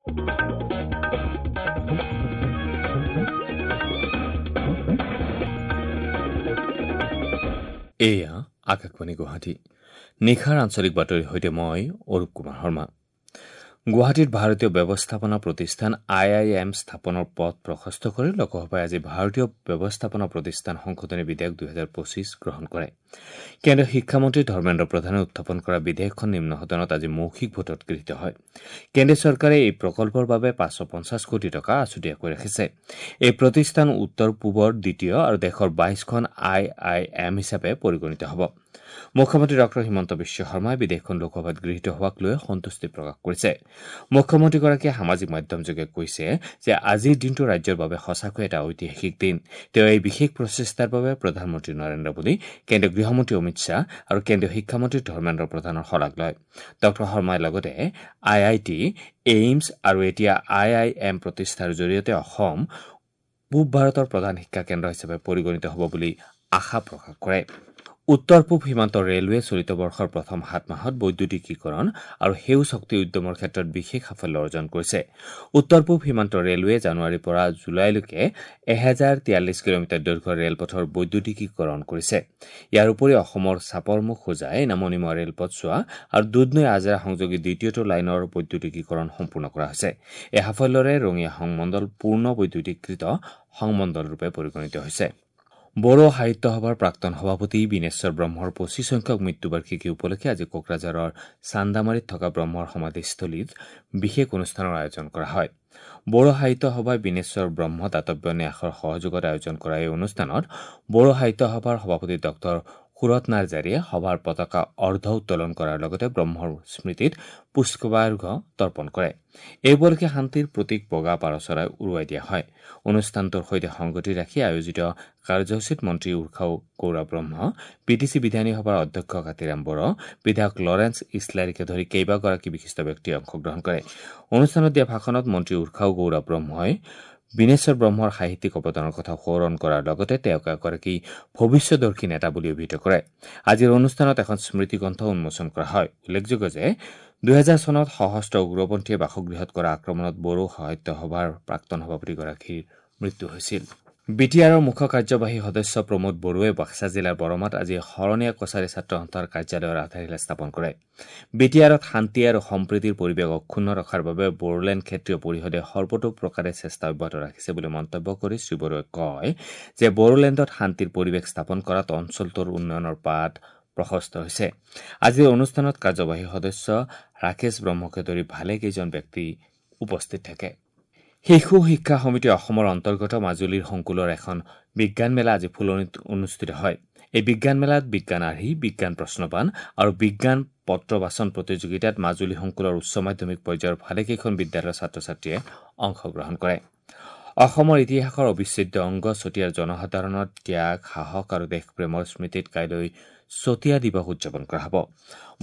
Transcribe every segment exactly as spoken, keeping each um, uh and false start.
এয়া আকাশবাণী গুৱাহাটী। নিশাৰ আঞ্চলিক বাতৰিৰ সৈতে মই অৰূপ কুমাৰ শৰ্মা। গুৱাহাটীত ভাৰতীয় ব্যৱস্থাপনা প্ৰতিষ্ঠান আই I am স্থাপনৰ পথ প্ৰশস্ত কৰি লোকসভাই আজি ভাৰতীয় ব্যৱস্থাপনা প্ৰতিষ্ঠান সংশোধনী বিধেয়ক দুহেজাৰ পঁচিছ গ্ৰহণ কৰে। কেন্দ্ৰীয় শিক্ষামন্ত্ৰী ধৰ্মেন্দ্ৰ প্ৰধানে উত্থাপন কৰা বিধেয়কখন নিম্ন সদনত আজি মৌখিক ভোটত গৃহীত হয়। কেন্দ্ৰীয় চৰকাৰে এই প্ৰকল্পৰ বাবে পাঁচশ পঞ্চাছ কোটি টকা আছুতীয়াকৈ ৰাখিছে। এই প্ৰতিষ্ঠান উত্তৰ পূবৰ দ্বিতীয় আৰু দেশৰ বাইছখন আই I am হিচাপে পৰিগণিত হ'ব। মুখ্যমন্ত্ৰী ডক্টৰ হিমন্ত বিশ্ব শৰ্মাই বিধেয়কখন লোকসভাত গৃহীত হোৱাক লৈ সন্তুষ্টি প্ৰকাশ কৰিছে। মুখ্যমন্ত্ৰীগৰাকীয়ে সামাজিক মাধ্যমযোগে কৈছে যে আজিৰ দিনটো ৰাজ্যৰ বাবে সঁচাকৈ এটা ঐতিহাসিক দিন। তেওঁ এই বিশেষ প্ৰচেষ্টাৰ বাবে প্ৰধানমন্ত্ৰী নৰেন্দ্ৰ মোদী, কেন্দ্ৰীয় গৃহমন্ত্ৰী অমিত শ্বাহ আৰু কেন্দ্ৰীয় শিক্ষামন্ত্ৰী ধৰ্মেন্দ্ৰ প্ৰধানৰ শলাগ লয়। ডক্টৰ শৰ্মাই লগতে আই I T, AIIMS আৰু এতিয়া আই I am প্ৰতিষ্ঠাৰ জৰিয়তে অসম পূব ভাৰতৰ প্ৰধান শিক্ষা কেন্দ্ৰ হিচাপে পৰিগণিত হ'ব বুলি আশা প্ৰকাশ কৰে। উত্তৰ পূব সীমান্ত ৰেলৱে চলিত বৰ্ষৰ প্ৰথম সাত মাহত বৈদ্যুতিকীকৰণ আৰু সেউজ শক্তি উদ্যমৰ ক্ষেত্ৰত বিশেষ সাফল্য অৰ্জন কৰিছে। উত্তৰ পূব সীমান্ত ৰেলৱে জানুৱাৰীৰ পৰা জুলাইলৈকে এহেজাৰ তিয়াল্লিছ কিলোমিটাৰ দৈৰ্ঘ্যৰ ৰেলপথৰ বৈদ্যুতিকীকৰণ কৰিছে। ইয়াৰ উপৰি অসমৰ চাপৰমুখ হোজাই নামনিমুৱা ৰেলপথছোৱা আৰু দুধনৈ আজৰা সংযোগী দ্বিতীয়টো লাইনৰ বৈদ্যুতিকীকৰণ সম্পূৰ্ণ কৰা হৈছে। এই সাফল্যৰে ৰঙিয়া সংমণ্ডল পূৰ্ণ বৈদ্যুতিকৃত সংমণ্ডলৰূপে পৰিগণিত হৈছে। বড়ো সাহিত্য সভাৰ প্ৰাক্তন সভাপতি বিনেশ্বৰ ব্ৰহ্মৰ পঁচিছ সংখ্যক মৃত্যুবাৰ্ষিকী উপলক্ষে আজি কোকৰাঝাৰৰ চান্দামাৰীত থকা ব্ৰহ্মৰ সমাধিস্থলীত বিশেষ অনুষ্ঠানৰ আয়োজন কৰা হয়। বড়ো সাহিত্য সভাই বিনেশ্বৰ ব্ৰহ্ম দাতব্য ন্যাসৰ সহযোগত আয়োজন কৰা এই অনুষ্ঠানত বড়ো সাহিত্য সভাৰ সভাপতি ডক্টৰ সুৰত নাৰ্জাৰীয়ে সভাৰ পতাকা অৰ্ধ উত্তোলন কৰাৰ লগতে ব্ৰহ্মৰ স্মৃতিত পুষ্পাৰ্ঘ তৰ্পণ কৰে। এই উপলক্ষে শান্তিৰ প্ৰতীক বগা পাৰ চৰাই উৰুৱাই দিয়া হয়। অনুষ্ঠানটোৰ সৈতে সংগতি ৰাখি আয়োজিত কাৰ্যসূচীত মন্ত্ৰী উৰ্খাও গৌৰা ব্ৰহ্ম, বি টি চি বিধানী সভাৰ অধ্যক্ষ কাতিৰাম বড়ো, বিধায়ক লৰেন্স ইছলাৰীকে ধৰি কেইবাগৰাকী বিশিষ্ট ব্যক্তিয়ে অংশগ্ৰহণ কৰে। অনুষ্ঠানত দিয়া ভাষণত মন্ত্ৰী উৰ্খাও গৌৰা ব্ৰহ্মই বিনেশ্বৰ ব্ৰহ্মৰ সাহিত্যিক অৱদানৰ কথা সোঁৱৰণ কৰাৰ লগতে তেওঁক এগৰাকী ভৱিষ্যদৰ্শী নেতা বুলি অভিহিত কৰে। আজিৰ অনুষ্ঠানত এখন স্মৃতিগ্ৰন্থ উন্মোচন কৰা হয়। উল্লেখযোগ্য যে দুহেজাৰ চনত সশস্ত্ৰ উগ্ৰপন্থীয়ে বাসগৃহত কৰা আক্ৰমণত বড়ো সাহিত্য সভাৰ প্ৰাক্তন সভাপতিগৰাকীৰ মৃত্যু হৈছিল। বি টি আৰৰ মুখ্য কাৰ্যবাহী সদস্য প্ৰমোদ বড়োৱে বাক্সা জিলাৰ বৰমাত আজি শৰণীয়া কছাৰী ছাত্ৰ সন্থাৰ কাৰ্যালয়ৰ আধাৰশিলা স্থাপন কৰে। বি টি আৰত শান্তি আৰু সম্প্ৰীতিৰ পৰিৱেশ অক্ষুণ্ণ ৰখাৰ বাবে বড়োলেণ্ড ক্ষেত্ৰীয় পৰিষদে সৰ্বতোপ্ৰকাৰে চেষ্টা অব্যাহত ৰাখিছে বুলি মন্তব্য কৰি শ্ৰী বড়োৱে কয় যে বড়োলেণ্ডত শান্তিৰ পৰিৱেশ স্থাপন কৰাত অঞ্চলটোৰ উন্নয়নৰ পাত প্ৰশস্ত হৈছে। আজিৰ অনুষ্ঠানত কাৰ্যবাহী সদস্য ৰাকেশ ব্ৰহ্মকে ধৰি ভালেকেইজন ব্যক্তি উপস্থিত থাকে। শিশু শিক্ষা সমিতি অসমৰ অন্তৰ্গত মাজুলীৰ সংকুলৰ এখন বিজ্ঞান মেলা আজি ফুলনিত অনুষ্ঠিত হয়। এই বিজ্ঞান মেলাত বিজ্ঞান আৰ্হি, বিজ্ঞান প্ৰশ্নপান আৰু বিজ্ঞান পত্ৰ বাচন প্ৰতিযোগিতাত মাজুলী সংকুলৰ উচ্চ মাধ্যমিক পৰ্যায়ৰ ভালেকেইখন বিদ্যালয়ৰ ছাত্ৰ ছাত্ৰীয়ে অংশগ্ৰহণ কৰে। অসমৰ ইতিহাসৰ অবিচ্ছেদ্য অংগ চতিয়াৰ জনসাধাৰণৰ ত্যাগ, সাহস আৰু দেশপ্ৰেমৰ স্মৃতিত কাইলৈ চতিয়া দিৱস উদযাপন কৰা হ'ব।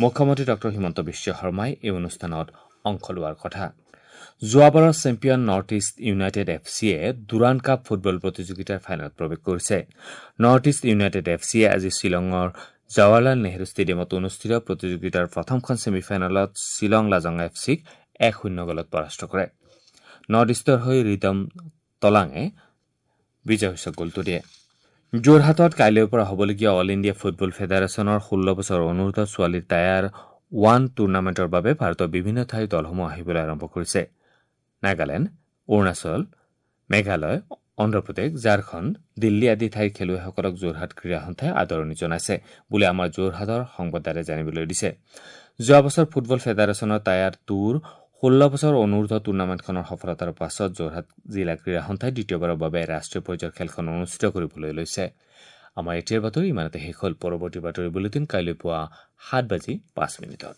মুখ্যমন্ত্ৰী ডক্টৰ হিমন্ত বিশ্ব শৰ্মাই এই অনুষ্ঠানত অংশ লোৱাৰ কথা। যোৱাবাৰৰ champion North East United F চিয়ে ডুৰাণ্ড কাপ ফুটবল প্ৰতিযোগিতাৰ ফাইনেলত প্ৰৱেশ কৰিছে। নৰ্থ ইষ্ট ইউনাইটেড এফ চিয়ে আজি শ্বিলঙৰ জৱাহৰলাল নেহৰু ষ্টেডিয়ামত অনুষ্ঠিত প্ৰতিযোগিতাৰ প্ৰথমখন ছেমিফাইনেলত শ্বিলং লাজং এফ চিক এক শূন্য গ'লত পৰাস্ত কৰে। নৰ্থ ইষ্টৰ হৈ ৰিদম তলাঙে বিজয়সূচক গ'লটো দিয়ে। যোৰহাটত কাইলৈৰ পৰা হ'বলগীয়া অল ইণ্ডিয়া ফুটবল ফেডাৰেশ্যনৰ ষোল্ল বছৰ অনুৰ্ধ ছোৱালীৰ টায়াৰ ওৱান টুৰ্ণামেণ্টৰ বাবে ভাৰতৰ বিভিন্ন ঠাইৰ দলসমূহ আহিবলৈ আৰম্ভ কৰিছে। নাগালেণ্ড, অৰুণাচল, মেঘালয়, অন্ধ্ৰপ্ৰদেশ, ঝাৰখণ্ড, দিল্লী আদি ঠাইৰ খেলুৱৈসকলক যোৰহাট ক্ৰীড়া সন্থাই আদৰণি জনাইছে বুলি আমাৰ যোৰহাটৰ সংবাদদাতাই জানিবলৈ দিছে। যোৱা বছৰ ফুটবল ফেডাৰেশ্যনৰ টায়াৰ টুৰ ষোল্ল বছৰ অনুৰ্ধ টুৰ্ণামেণ্টখনৰ সফলতাৰ পাছত যোৰহাট জিলা ক্ৰীড়া সন্থাই দ্বিতীয়বাৰৰ বাবে ৰাষ্ট্ৰীয় পৰ্যায়ৰ খেলখন অনুষ্ঠিত কৰিবলৈ লৈছে। আমাৰ এতিয়াৰ বাতৰি ইমানতে শেষ হ'ল। পৰৱৰ্তী বাতৰি বুলেটিন কাইলৈ পুৱা সাত বাজি পাঁচ মিনিটত।